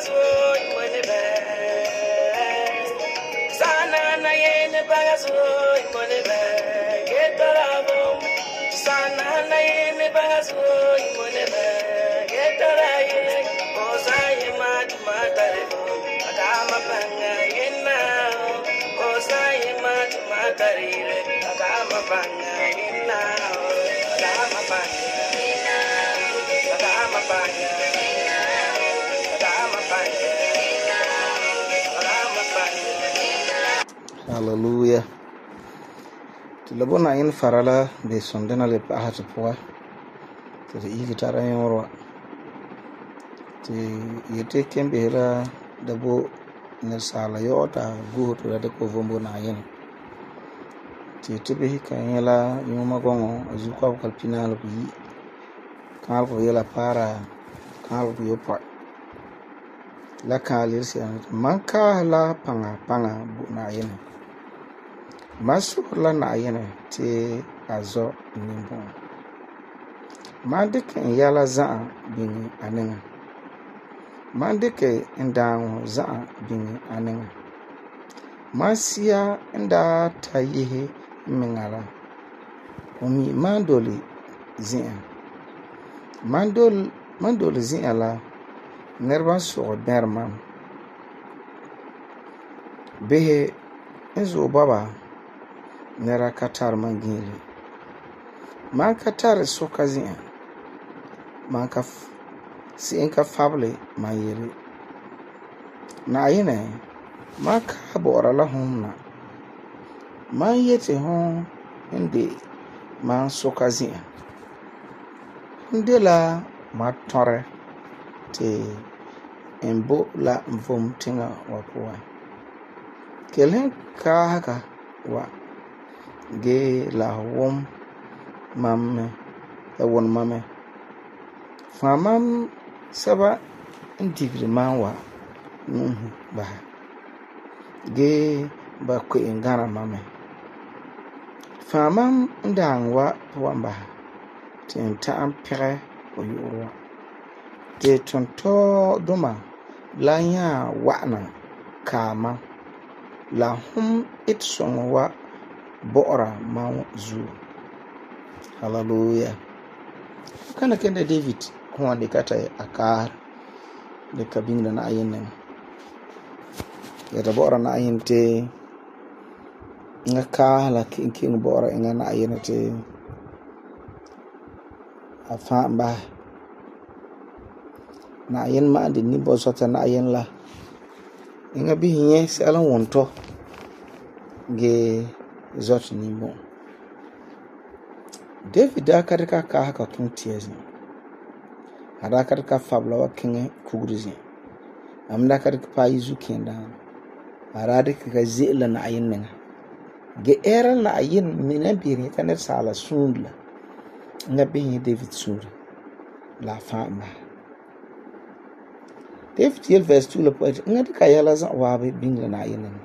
bagazo imone be. Sana na yene bagazo imone be. Getarabo. Sana na yene bagazo imone be. Getaraye. Osaye matumatarebo. Akama panga yena. Osaye matumatarire. Akama panga yena. Akama panga. Akama panga. Hallelujah. Ti la bona in farala be sondena le pa hatu poa. Ti yi gitara yorwa. Ti yete kembe hera dabo ne sala yota go to da ko vombo na yin. Ti tibe kan yela yuma gongo azu ko kalpina lo yi. Kan ko yela para kan ko yopa. La kalir manka la panga bu na yin. Masu la na yin te azo nimbo. Mandike yala za bin anen. Mandike ndan za bin anen. Masia nda tayihe mingala. Umi mandoli zin. Mandoli zin ala nerva so derman. Behe enzo baba nera katar mangili. Man katar sokazin. Man ka si enka fable man yiri. Na yine man ka bora la humna. Man yete hon inde man sokazin. Ndela ma tore te embo la mvom tinga wapuwa. Kelen ka haka wa ge la wom mamme la won mamme. Famam saba indigri manwa nuhu ba. Ge ba ko ingana mamme. Famam ndangwa wamba. Tenta ampere oyurwa. Te tonto doma la nya wana kama la hum itsongwa bora ma zu. Hallelujah. Kana kende David kwa de kata akar de kabinda na ayin ya da bora na ayin te ngaka la king bora inga na ayin te afamba na ayin ma de ni bo sota na ayin la inga bi hinye sala wonto ge zot ni bo. David akarika ka haka tun tiezi. Akarika fabla wa kinge kugrizi. Amda akarika pa yizu kenda. Aradika ka zela na ayin nenga. Ge era na ayin mina biri kanet sala sundla. Nga bihi David sura. La famba. David yel verse 2 la poet. Nga dika yala zan wabe bingla na ayin nenga.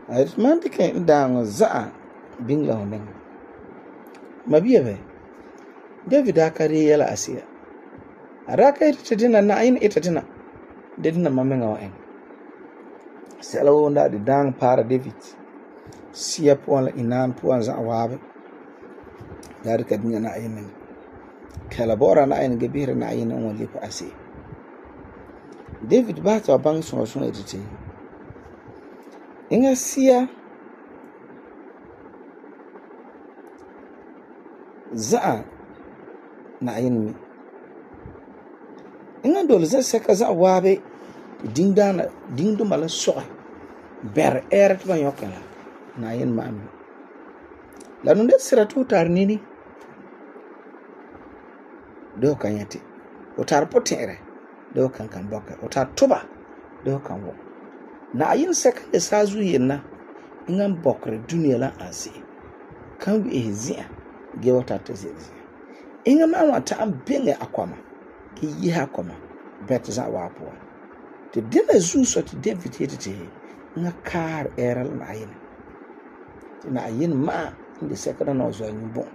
Ayitman dika ndango zaa bingla honen. Mabiya be. David akari yala asiya. Araka ita dina na ayin ita dina. Dina mamenga wa en. Sela wonda di dang para David. Siya puan la inan puan za awabe. Dari ka dinga na ayin. Kala bora na ayin gebira na ayin on lipa asiya. David bata bang so edite. Inga siya za na ayin mi. Inga dole za seka za wabe dingdo mala soa ber eret ba yokala na ayin ma ami. La nunde sira tu tar nini do kanyati o tar potere do kan boka o tar tuba do kan wo na ayin seka de sazu yenna inga bokre duniya la ansi kan bi ehzia ge wata tezezi inga ma wata am benge akwama ki yi akwama bet za wapo te dina zu so ti David yete nga kar eral na ayin na ayin ma inde sekada no zo nyubo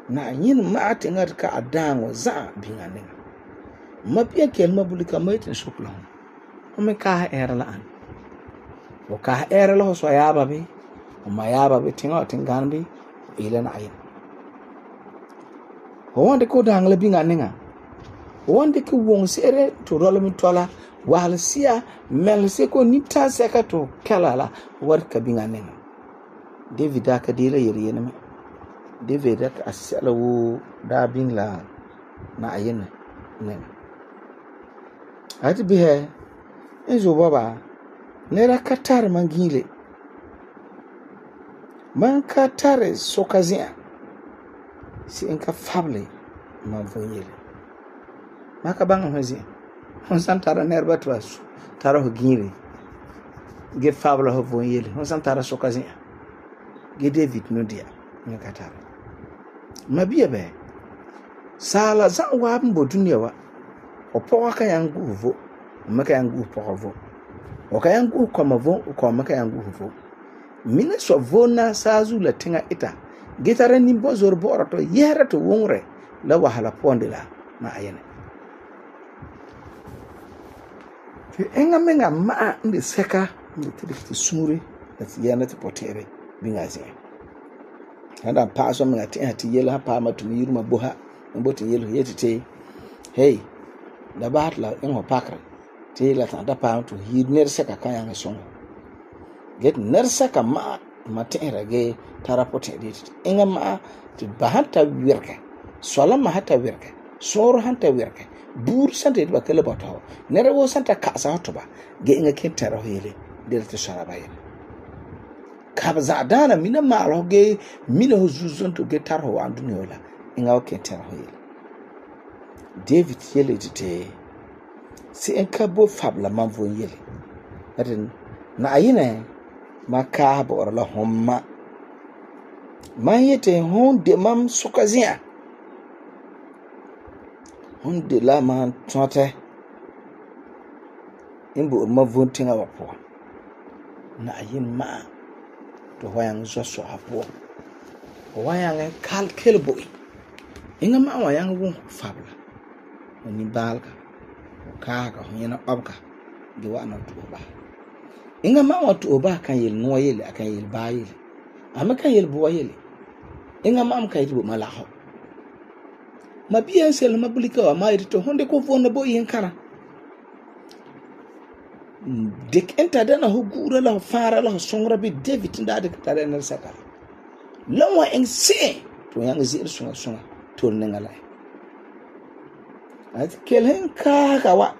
na ayin ma te ngar ka adango za bingane Ma bia kel ma bulika ma yitin sukla hon. Hon me kaah ɛɛra la an. O kaah ɛɛra la ho so yaaba bi. O ma yaaba bi tinga o tingan bi. O ila na ayin. Ho wande ko dangla binga ninga. Ho wande ko wong seere to rolo mi tola. Wahal siya mel se ko nita seka to kala la war ka binga ninga. David aka dela yeri yene me. David aka asala wo da bing la na ayin ninga. Ati bihe enzo baba nera katar mangile. Man katare sokazia. Si enka fable man voyele. Maka banga hwezi. Hon san tara nerba twas. Tara ho gile. Ge fable ho voyele. Hon san tara sokazia. Ge David no dia. Nga katare. Mabia be. Sala zan wa mbo dunia wa. O poka ka yangu vo. O maka yangu poka vo. O ka yangu koma vo. O ka maka yangu vo. Mine so vo na sazu la tinga ita. Gitare nimbo zorbo orato yera to wongre la wahala ponde la na ayene. Fi enga menga ma ndi seka ndi tiri sumure ati yana ti potere binga zi. Handa paso menga ti hati yelo ha pa ma tumi yiruma boha mboti yelo yetite. Hey, da batla engo pakra. Ti la ta da pa to hir ner seka kayanga songo. Get ner seka ma tinra ge tarapote dit inga ma ti bahanta wirke sola ma hata wirke soro hanta wirke bur sante ba kala bato nere wo santa kasa hotoba ge inga kentara hele delte sara bayen kabza dana mina ma ro ge mina ho zuzon to ge tar ho andu nyola inga o kentara hele David yele dite si enka bo fabla man vo yele aden na ayine maka bo la homma man yete hon de mam sukazia hon de la man tote imbo ma vontinga wapo na ayin ma to wayang zoso hapo wayang kal kelboy inga ma wayang won fabla ni balka ka hona obka de wana to ba inga ma wa to ba kan yel no yele akan yel ba yele ama kan yel bo yele inga ma am kai to malaho ma biyan sel ma bulika wa ma to honde ko vonna bo yin kana dik enta dana ho gura la fara la songra bi David nda de tare na saka lawa en se to yang zir sunga to ngala at kelen ka wa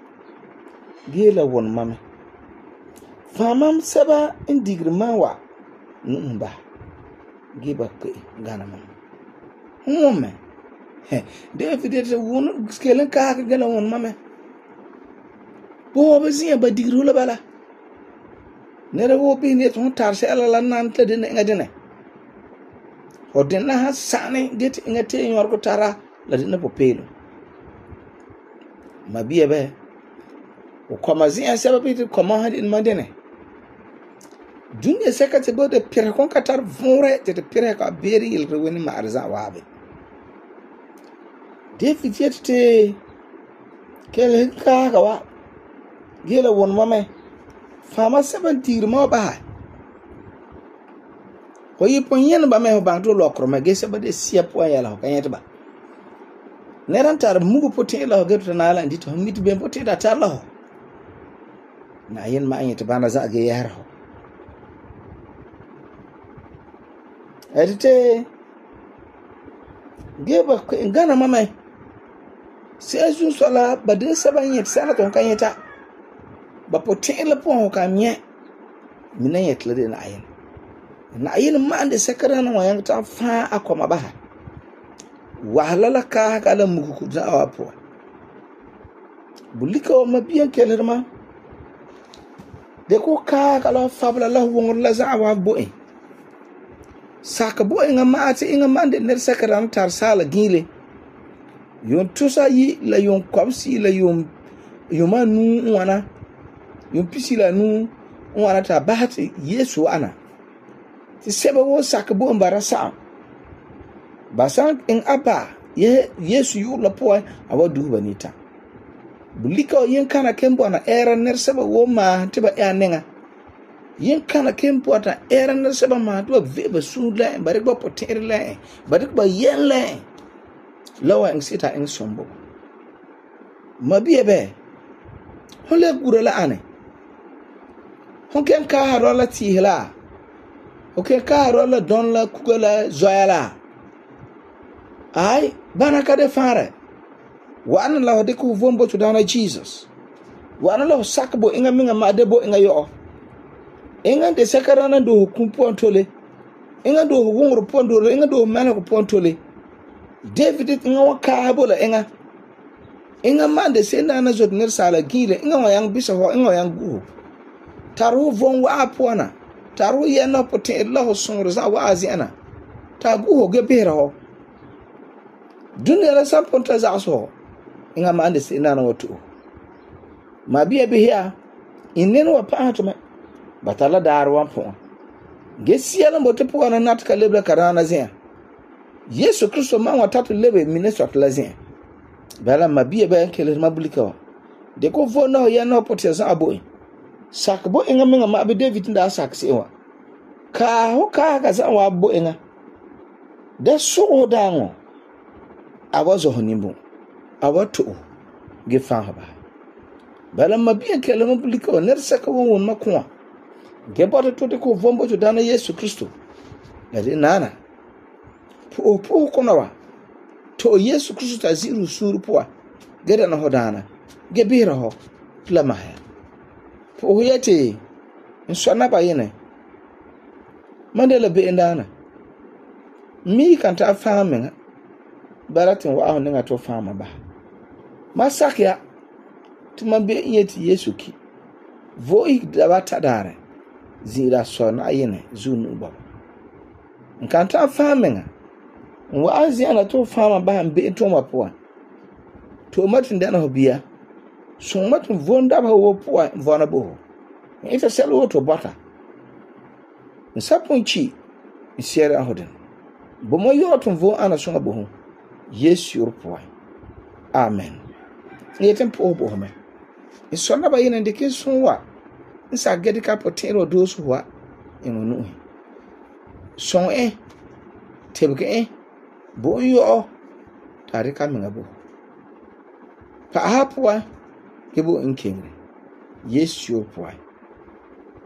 gela won mame famam saba indigirma wa numba giba ke gana mam home David de won skelen ka gela won mame bo bezia ba digru la bala nere wo bi ne ton tarse ala la nan ta de ngadene o den na hasane det ngate nyor ko tara la de na popelo mabiya be o komazia saba bi koma hadin madene dunya sekate bo de pire kon katar vore te pire ka beri il rewini ma arza wabe David yete kel ka wa gela won mame fama 70 mo ba ko yipon yen ba me ho banto lokro ma gese ba de sia po yala ko yete ba neran tar mugu potin la geto na ala ndito miti be potin da tar la na yen ma yete bana za ge yar ho edite geba ko ngana mame sai sun sala ba de saban yete sala to kan yeta ba potin la po ka mye minan yetle de na ayin ma ande sekara na wayan ta fa akoma ba wahalala ka kala muku ku za wapo bulika o mabiyan kelerma de ko ka kala fabla la wongor la za wa boe saka boe ngama ati ngama ande ner sekara tar sala gile yon tusa yi la yon komsi la yon yomanu wana yon pisila nu wana ta bahati Yesu ana ti seba wo saka bo mbara sa basan in apa Yesu yu la po awa du banita bulika yin kana ken bona era nerseba wo ma te ba ya nenga yin kana ken bota era nerseba ma to ve ba su la ba rek ba poter la ba rek ba yen la lawa en sita en sombo mabiye be hon le gura la ane hon ken ka haro la tihla o ken ka haro la don la kugala zoyala ai bana ka de fare wa'an la de ku vombo to dana Jesus wa'an la sakbo inga minga ma de bo inga yo inga de sakarana do kumpo tole inga do wongro pondo inga do mala ko pontole David inga wa ka bola inga mande senda na zot ner sala gile inga wa yang bisa ho inga yang gu taru von wa apona taru yana pote Allah sunro za wa aziana ta gu ho ge bera ho dunya la samponta za so inga mande senda na watu ma biya biya inen wa pa to me batala dar wan po ge siala mbote po na natka lebla karana zia Yesu Kristo ma wa tatu lebe minesot la zia bala mabiya ba kele mabulika de ko vona ya no potia za aboy sakbo inga minga ma be David nda saksi wa ka ho ka za wa abo inga de so dango abazo honimbu abato ge fa ba bala mabiya kele mabulika ner saka won makwa ge boto to de ko vombo to dana Yesu Kristo la de nana po kono wa to Yesu Kristo ta ziru suru poa geda na hodana ge bira ho la mahya po yete nsona ba yene mandela be ndana mi kan ta famin baratin wa ahun nga to fama ba masakya tuma be yeti Yesu ki voi da bata dare zira sona yene zunu ba kan ta famin wa aziana to fama ba be to mapoa to matin da na hobia so matin vonda ba wo poa vona bo ita selo to bota nsaponchi isiera hoden bo mo yoto vo ana so bo yes your poa amen yetem po bo me isona ba yene de ke sonwa nsa gedi ka potero do so wa enunu son tebke bo yo tare ka minga bo pa hapwa kebo inkengre Yesu poa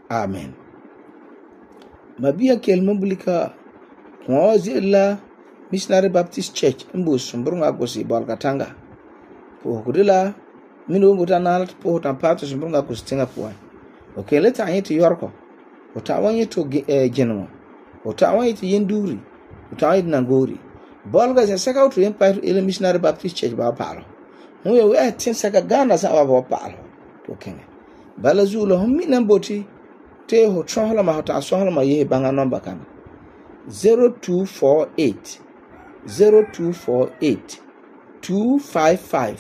amen mabia kelma bulika kwa zilla Missionary Baptist Church mbo sumbrunga gosi balkatanga po kudila mino ngutana po tampato sumbrunga kustinga poa okay leta anyete yorko utawanyi to genwa utawanyi to yenduri utawanyi nangori bolga se saka utu empire ile Missionary Baptist Church ba palo we tin saka Ghana sa ba palo to kenge bala zulo hommi namboti te ho chohola ma hota sohola ma ye banga number kana 0248 255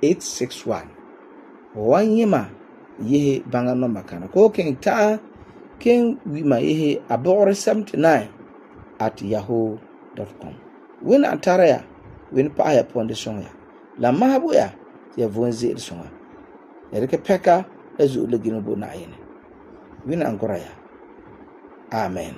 861 wanyima ye banga number kana ko ken ta ken wi ma ye abore 79@yahoo.com win antaraya win pa ya ponde songa la mahabu ya vonzi songa erike peka ezu legino bo na yene win angora ya amen.